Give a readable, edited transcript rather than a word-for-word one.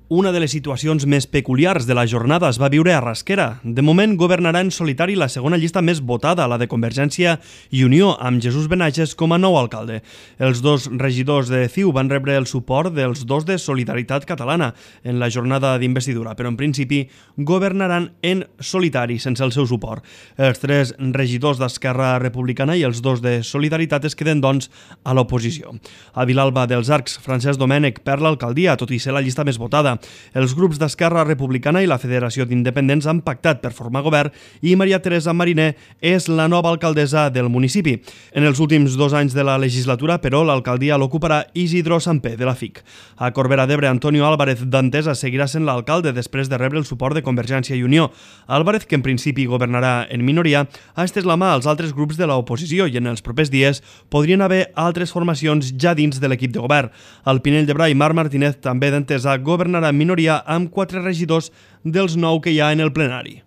Una de les situacions més peculiars de la jornada es va viure a Rasquera. De moment governarà en solitari la segona llista més votada, la de Convergència i Unió, amb Jesús Benages com a nou alcalde. Els dos regidors de CiU van rebre el suport dels dos de Solidaritat Catalana en la jornada d'investidura, però en principi governaran en solitari, sense el seu suport. Els tres regidors d'Esquerra Republicana i els dos de Solidaritat es queden, doncs, a l'oposició. A Vilalba dels Arcs, Francesc Domènech perd l'alcaldia, tot i ser la llista més votada. Els grups d'Esquerra Republicana i la Federació d'Independents han pactat per formar govern i Maria Teresa Mariner és la nova alcaldessa del municipi. En els últims 2 anys de la legislatura, però, l'alcaldia l'ocuparà Isidro Sampé, de la FIC. A Corbera d'Ebre, Antonio Álvarez d'Antesa seguirà sent l'alcalde després de rebre el suport de Convergència i Unió. Álvarez, que en principi governarà en minoria, ha estès la mà als altres grups de l'oposició i en els propers dies podrien haver altres formacions ja dins de l'equip de govern. Al Pinell de Brai, Marc Martínez, també d'Antesa, governarà en minoria amb 4 regidors dels 9 que hi ha en el plenari.